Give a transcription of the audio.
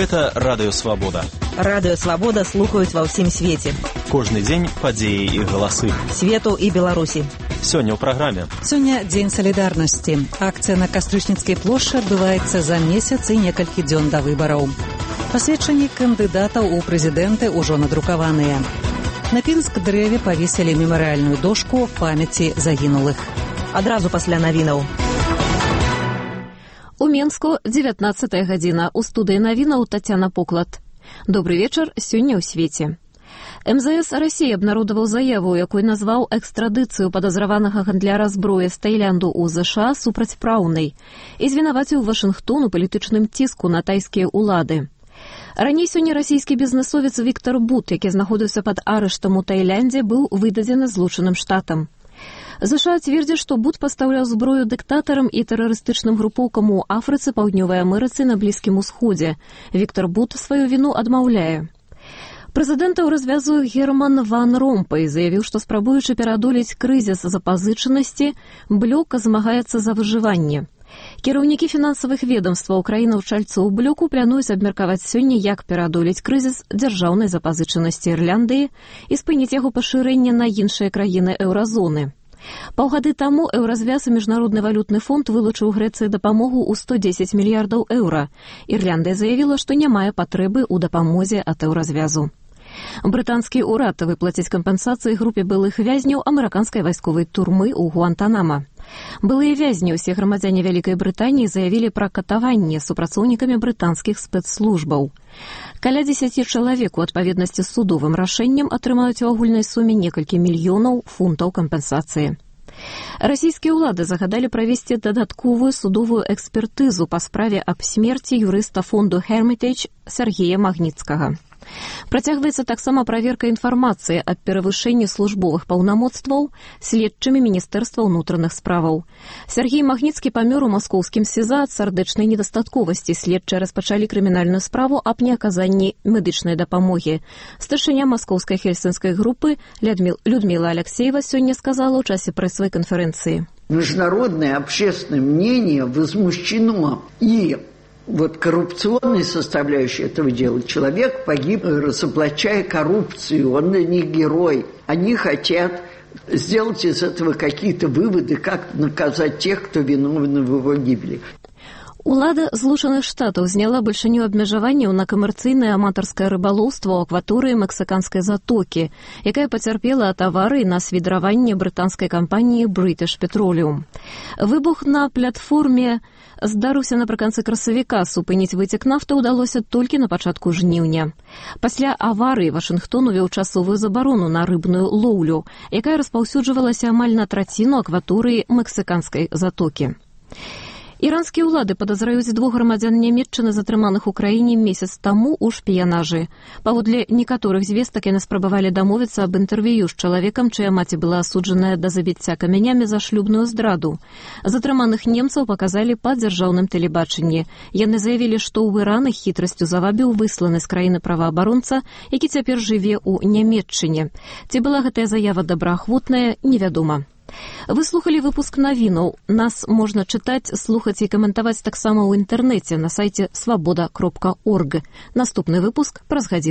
Гэта Радыё Свабода. Радыё Свабода слухаюць ва ўсім свеце. Кожны дзень падзеі і галасы. Свету і Беларусі. Сёння ў праграме. Сёння дзень салідарнасці. Акцыя на Кастрычніцкай плошчы адбываецца за месяц і некалькі дзён да выбараў. Пасведчанні кандыдатаў у прэзідэнты ўжо надрукаваныя. На Пінск-дрэве павесілі мемарыяльную дошку памяці загінулых. Адразу пасля навінаў. У Менску 19 гадзіна. У студыі навінаў Тацяна Поклад. Добрый вечар, сёння ў свеце. МЗС России абнародаваў заяву, якой назваў экстрадыцыю падазраванага гандляра зброі з Таілянду ў ЗША супрацьпраўнай і звінаваціў Вашынгтон у палітычным ціску на тайскія ўлады. Раней сёння расійскі бізнесовец Віктор Бут, які знаходзіўся пад арыштам у Таіландзе, быў выдадзены Злучаным Штатам. ЗША цвердзіць, што Бут пастаўляў зброю дыктатарам і тэрарыстычным групоўкам у Афрыцы, Паўднёвай Амерыцы, на Блізкім Усходзе. Віктор Бут сваю віну адмаўляе. Прэзідэнтаў развязуе Герман ван Ромпэй, заявіў, што спрабуючы пераадолець крызіс запазычанасці, блёк змагаецца за выжыванне. Кіраўнікі фінансавых ведомстваў краінаў-чальцоў блёку плануюць абмеркаваць сёння, як пераадолець крызіс дзяржаўнай запазычанасці Ірландыі і спыніць яго пашырэнне на іншыя краіны еўразоны. Паўгады таму Еўразвяз і Міжнародны валютны фонд вылучыў Грэцыі дапамогу ў 110 мільярдаў еўра. Ірландыя заявіла, што не мае патрэбы ў дапамозе ад Еўразвязу. Брытанскі ўрад выплаціць кампенсацыі групе былых вязняў амерыканскай вайсковай турмы ў Гуантанама. Былыя вязні, усе грамадзяне Вялікай Брытаніі, заявілі пра катаванне супрацоўнікамі брытанскіх спецслужбаў. Каля 10 чалавек у адпаведнасці з судовым рашэннем атрымаюць у агульнай суме некалькі мільёнаў фунтаў кампенсацыі. Расійскія ўлады загадалі правесці дадатковую судовую экспертызу па справе аб смерці юрыста фонду Hermitage Сергея Магніцкага. Працягваецца таксама праверка інфармацыі аб перавышэнні службовых паўнамоцтваў следчымі Міністэрства ўнутраных справаў. Сергей Магніцкі памёр у маскоўскім СІЗА ад сардэчнай недастатковасці. Следчыя распачалі крымінальную справу аб неаказанні медычнай дапамогі. Старшыня маскоўскай хельсінскай групы Людмила Алексеева сёння сказала ў часе прэсавай канферэнцыі. Международное общественное мнение возмущено и коррупционной составляющей этого дела. Человек погиб, разоблачая коррупцию, он для них герой. Они хотят сделать из этого какие-то выводы, как наказать тех, кто виновен в его гибели. Улада Злучаных Штатаў зняла бальшыню абмежаванняў на камерцыйнае аматарскае рыбалоўства ў акваторыі Мексыканскай затокі, якая пацярпела ад аварыі на свідраванне брытанскай кампаніі British Petroleum. Выбух на платформе здарыўся напрыканцы красавіка. Супыніць выцек нафты ўдалося толькі на пачатку жніўня. Пасля аварыі Вашынгтон увёў часовую забарону на рыбную лоўлю, якая распаўсюджвалася амаль на траціну акваторыі Мексыканскай затокі. Іранскія ўлады падазраюць 2 грамадзян Нямецчыны, затрыманых у краіне месяц таму ў шпіянажы. Паводле некаторых звестак яны спрабавалі дамовіцца аб інтэрв'ю з чалавекам, чыя маці была асуджаная да забіцця камянямі за шлюбную здраду. Затрыманых немцаў паказалі па дзяржаўным тэлебачанні. Яны заявілі, што ў Іран іх хітрасцю завабіў высланы з краіны праваабаронца, які цяпер жыве ў Нямецчыне. Ці была гэтая заява добраахвотная, невядома. Вы слухалі выпуск навінаў. Нас можна чытаць, слухаць і каментаваць таксама ў інтэрнэце на сайце свабода.орг. Наступны выпуск праз гадзіну.